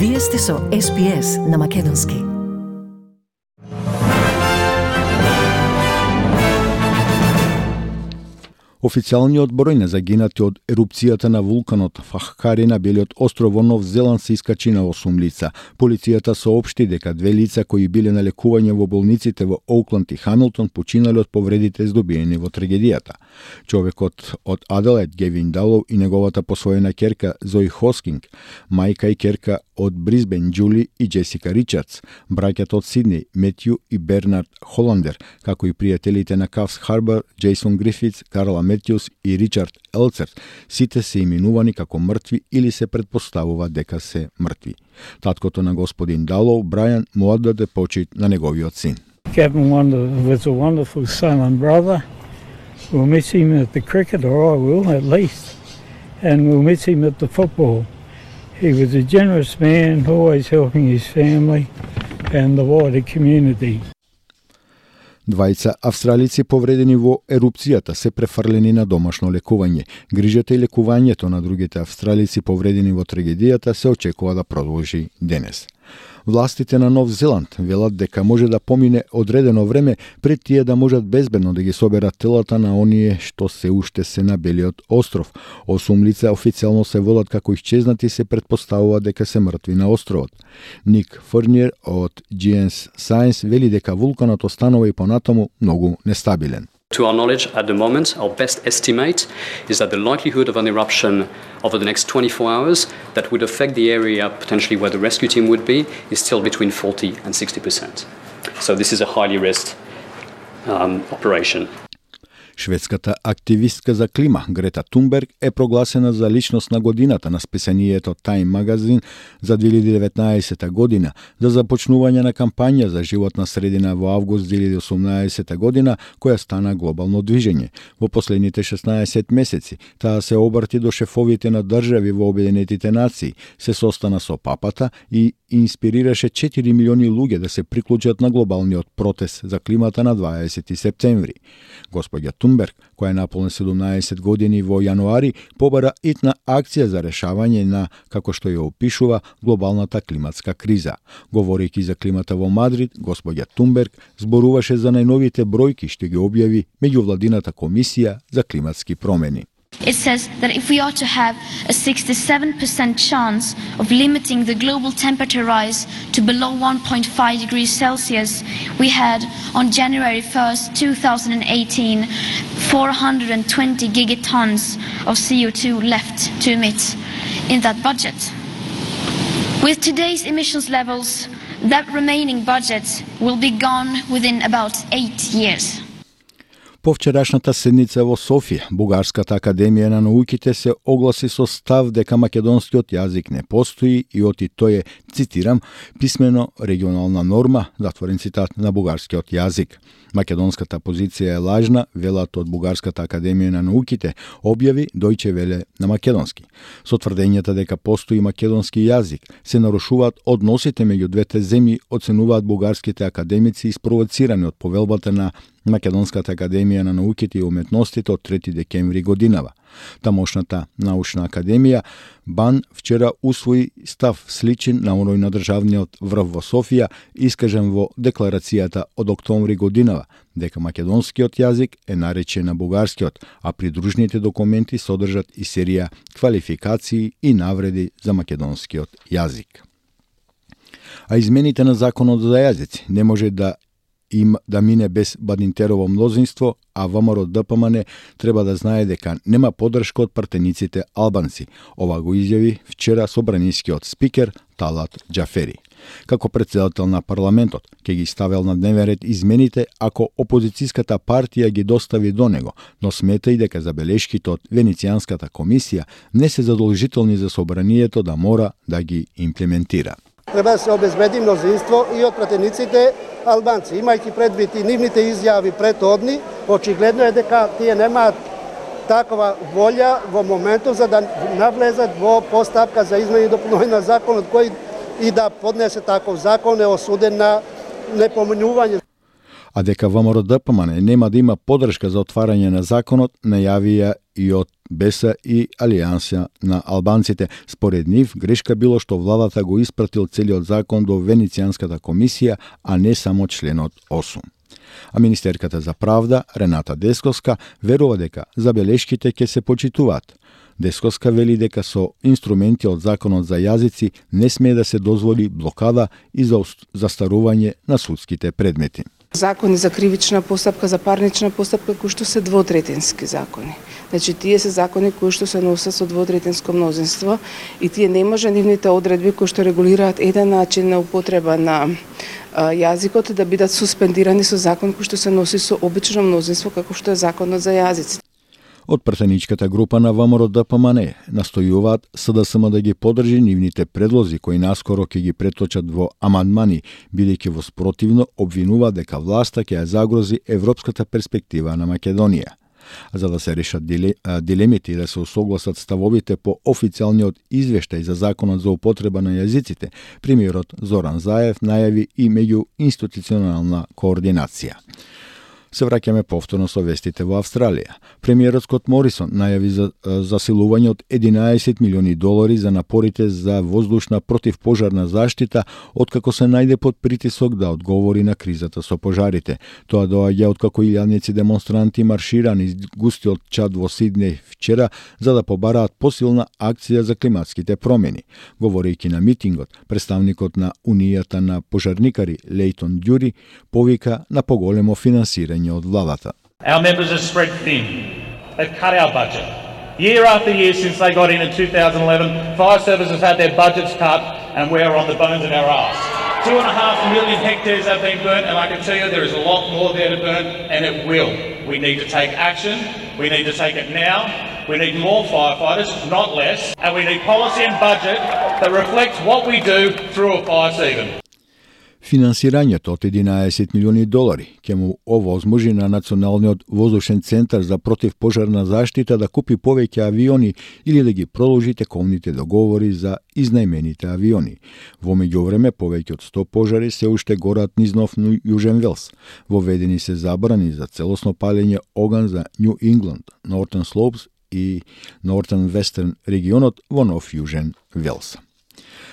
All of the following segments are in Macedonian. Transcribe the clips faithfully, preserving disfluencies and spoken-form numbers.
Вие сте со Ес Би Ес на Македонски. Официјалниот број на загинати од ерупцијата на вулканот Фахкари на белиот остров во Нов Зеланд се искачи на осум лица. Полицијата соопшти дека две лица кои биле на лекување во болниците во Оукланд и Хамилтон починале од повредите здобиени во трагедијата. Човекот од Аделаид, Гевин Далоу, и неговата посвоена керка Зои Хоскинг, мајка и керка од Брисбен, Џули и Джесика Ричардс, браќата од Сиднеј, Метју и Бернард Холандер, како и пријателите на Кавс Харбар, Джейсон Грифитс, Карла Метјус и Ричард Елцерт, сите се именувани како мртви или се предпоставува дека се мртви. Таткото на господин Далоу, Брајан, му оддаде почит на неговиот син. Gavin was a wonderful son and brother. We'll miss him at the cricket, or I will at least, and we'll miss him at the football. He was a generous man, always helping his family and the wider community. Двајца австралици повредени во ерупцијата се префрлени на домашно лекување. Грижата и лекувањето на другите австралици повредени во трагедијата се очекува да продолжи денес. Властите на Нов Зеланд велат дека може да помине одредено време пред тие да можат безбедно да ги соберат телата на оние што се уште се на белиот остров. Осум лица официјално се велат како исчезнати и се предпоставува дека се мртви на островот. Ник Ферниер од Джи Енс Science вели дека вулканот останува и понатаму многу нестабилен. To our knowledge, at the moment, our best estimate is that the likelihood of an eruption over the next twenty-four hours that would affect the area potentially where the rescue team would be is still between forty and sixty percent. So this is a highly risked um, operation. Шведската активистка за клима Грета Тунберг е прогласена за личност на годината на списанието Time Magazine за две илјади и деветнаесета година за започнување на кампања за животна средина во август две илјади и осумнаесета година, која стана глобално движење. Во последните шеснаесет месеци таа се обрати до шефовите на држави во Обединетите нации, се состана со папата и инспирираше четири милиони луѓе да се приклучат на глобалниот протест за климата на дваесети септември. Господја Тунберг, која е наполна седумнаесет години во јануари, побара итна акција за решавање на, како што ја опишува, глобалната климатска криза. Говорејќи за климата во Мадрид, господја Тунберг зборуваше за најновите бројки што ги објави меѓувладината комисија за климатски промени. It says that if we are to have a sixty-seven percent chance of limiting the global temperature rise to below one point five degrees Celsius, we had on January first, two thousand eighteen, four hundred twenty gigatons of C O two left to emit in that budget. With today's emissions levels, that remaining budget will be gone within about eight years. По вчерашната седница во Софија, Бугарската академија на науките се огласи со став дека македонскиот јазик не постои и оти тој е, цитирам, писмено регионална норма, затворен цитат, на бугарскиот јазик. Македонската позиција е лажна, велат од Бугарската академија на науките, објави Дојче Веле на македонски. Со тврдењата дека постои македонски јазик, се нарушуваат односите меѓу двете земји, оценуваат бугарските академици испровоцирани од повелбата на Македонската академија на науките и уметностите од трети декември годинава. Тамошната научна академија БАН вчера усвои став сличен на оној на државниот врв во Софија, искажен во декларацијата од октомври годинава, дека македонскиот јазик е наречен на бугарскиот, а придружните документи содржат и серија квалификации и навреди за македонскиот јазик. А измените на законот за јазици не може да им да мине без Бадинтерово мнозинство, а ВМРО Д П М Н треба да знае дека нема поддршка од партениците албанци. Ова го изјави вчера собранискиот спикер Талат Џафери. Како претседател на парламентот, ќе ги ставел на дневен ред измените ако опозицијската партија ги достави до него, но смета и дека забелешките од Венецијанската комисија не се задолжителни за собранието да мора да ги имплементира. Треба да се обезбеди мнозинство и од пратениците албанци. Имајќи предвид и нивните изјави претhodни, очигледно е дека тие немаат такова волја во моментот за да навлезат во постапка за измени и дополнување на законот, кој и да поднесе таков закон е осуден на непоминување. А дека ВМРО Д П М Н нема да има поддршка за отварање на законот, најавија и од Беса и Алијанса на албанците. Според нив, грешка било што владата го испратил целиот закон до Венецијанската комисија, а не само членот осум. А министерката за правда, Рената Десковска, верува дека забелешките ќе се почитуваат. Десковска вели дека со инструменти од законот за јазици не смее да се дозволи блокада и за застарување на судските предмети. Закони за кривична постапка, за парнична постапка, кои што се двотретински закони. Значи, тие се закони кои што се носат со двотретинско мнозинство и тие не може нивните одредби кои што регулираат еден начин на употреба на а, јазикот да бидат суспендирани со закон кои што се носи со обично мнозинство, како што е законот за јазици. Од пратеничката група на ВМРО Д П М Н настојуваат С Д С М да ги поддржи нивните предлози кои наскоро ќе ги преточат во амандмани, бидејќи во спротивно обвинува дека власта ќе ја загрози европската перспектива на Македонија. За да се решат дилемите и да се усогласат ставовите по официјалниот извештај за законот за употреба на јазиците, премиерот Зоран Заев најави и меѓуинституционална координација. Се враќаме повторно со вестите во Австралија. Премиерот Скот Морисон најави за засилување од единаесет милиони долари за напорите за воздушна противпожарна заштита, откако се најде под притисок да одговори на кризата со пожарите. Тоа доаѓа откако илјадници демонстранти маршира низ густиот Чад во Сиднеј вчера за да побараат посилна акција за климатските промени. Говорејќи на митингот, представникот на Унијата на пожарникари Лейтон Дјури повика на поголемо финансирање од владата. Our members are spread thin. They've cut our budget. Year after year since they got in in two thousand eleven, fire services had their budgets cut and we're on the bones of our arse. Two and a half million hectares have been burnt, and I can tell you there is a lot more there to burn, and it will. We need to take action. We need to take it now. We need more firefighters, not less. And we need policy and budget that reflects what we do through a fire season. Финансирањето од единаесет милиони долари ќе му овозможи на Националниот воздушен центар за противпожарна заштита да купи повеќе авиони или да ги продолжи тековните договори за изнајмените авиони. Во меѓувреме, повеќе од сто пожари се уште горат низ Нов Јужен Велс. Воведени се забрани за целосно палење оган за Нью Ингланд, Нортен Слоупс и Нортен Вестерн регионот во Нов Јужен Велс.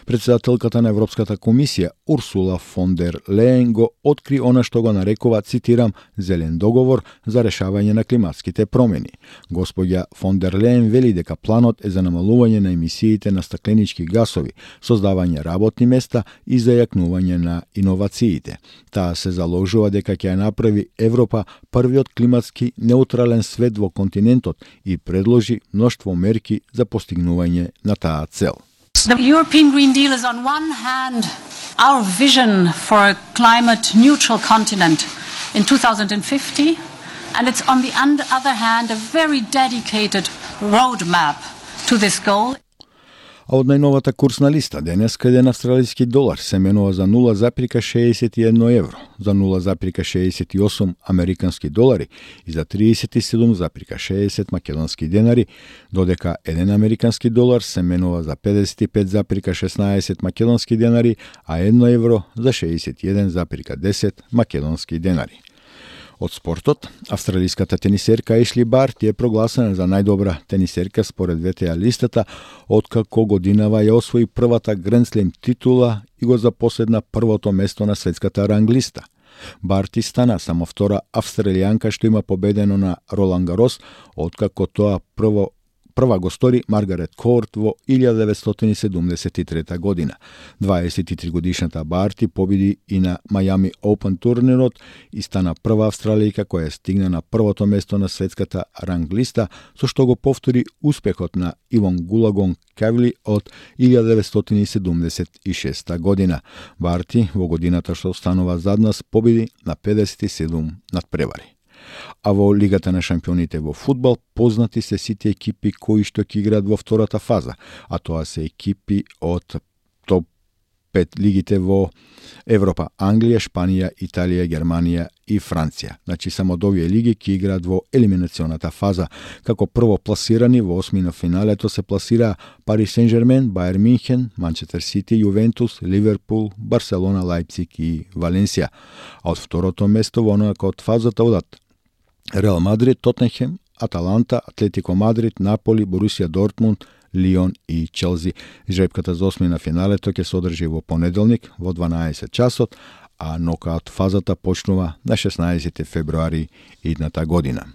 Председателката на Европската комисија Урсула фон дер Леен го откри она што го нарекува, цитирам, зелен договор за решавање на климатските промени. Господја фон дер Леен вели дека планот е за намалување на емисиите на стакленички гасови, создавање работни места и зајакнување на иновациите. Таа се заложува дека ќе ја направи Европа првиот климатски неутрален свет во континентот и предложи мноштво мерки за постигнување на таа цел. The European Green Deal is on one hand our vision for a climate neutral continent in two thousand fifty, and it's on the other hand a very dedicated roadmap to this goal. А од најновата курсна листа денеска еден австралиски долар се менува за нула запирка шеесет и едно евро, за нула запирка шеесет и осум американски долари и за тридесет и седум запирка шеесет македонски денари, додека еден американски долар се менува за педесет и пет запирка шеснаесет македонски денари, а едно евро за шеесет и еден запирка десет македонски денари. Од спортот, австралиската тенисерка Ешли Барти е прогласена за најдобра тенисерка според В Т А листата, откако годинава ја освои првата Гранд Слем титула и го запоседна првото место на светската ранглиста. Барти стана само втора австралијанка што има победено на Ролан Гарос, откако тоа прво Прва го стори Маргарет Корт во илјада деветстотини седумдесет и трета година. дваесет и три годишната Барти победи и на Мајами Оупен турнирот и стана прва австралијка која стигна на првото место на светската ранглиста, со што го повтори успехот на Ивон Гулагон Кавли од илјада деветстотини седумдесет и шеста година. Барти во годината што останува зад нас победи на педесет и седум надпревари. А во Лигата на шампионите во фудбал познати се сите екипи кои што ќе играат во втората фаза, а тоа се екипи од топ пет лигите во Европа: Англија, Шпанија, Италија, Германија и Франција. Значи само од овие лиги ќе играат во елиминационата фаза. Како прво пласирани во осми на финалето се пласира Пари Сен-Жермен, Бајер Минхен, Манчестер Сити, Јувентус, Ливерпул, Барселона, Лајпциг и Валенсија. А од второто место во онака од фазата одат Реал Мадрид, Тотенхем, Аталанта, Атлетико Мадрид, Наполи, Борусија Дортмунд, Лион и Челси. Жребката за осми на финалето ќе се одржи во понеделник во дванаесет часот, а нокаут фазата почнува на шеснаесети февруари идната година.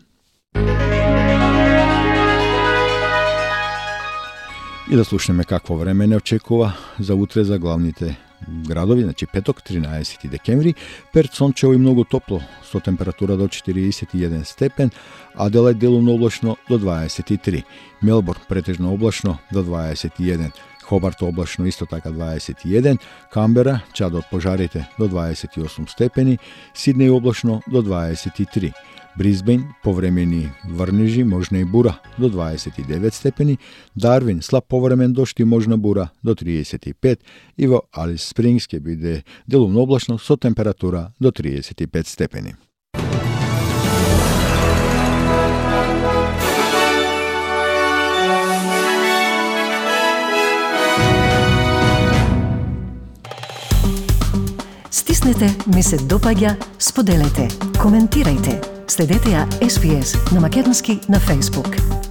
И да слушнеме какво време не очекува за утре за главните градови, значи петок, тринаесети декември, Перт сончево и многу топло, со температура до четириесет и еден степен, Аделајд делумно облачно до дваесет и три, Мелбурн претежно облачно до дваесет и еден, Хобарт облачно исто така дваесет и еден, Камбера, чад од пожарите до дваесет и осум степени, Сиднеј облачно до дваесет и три, Брисбен повремени врнежи, можна и бура до дваесет и девет степени, Дарвин слаб повремен дожд и можна бура до триесет и пет и во Алис Спрингс ќе биде делумно облачно со температура до триесет и пет степени. Стиснете, ми се допаѓа, споделете, коментирајте. Следете ја Ес Би Ес на македонски на Facebook.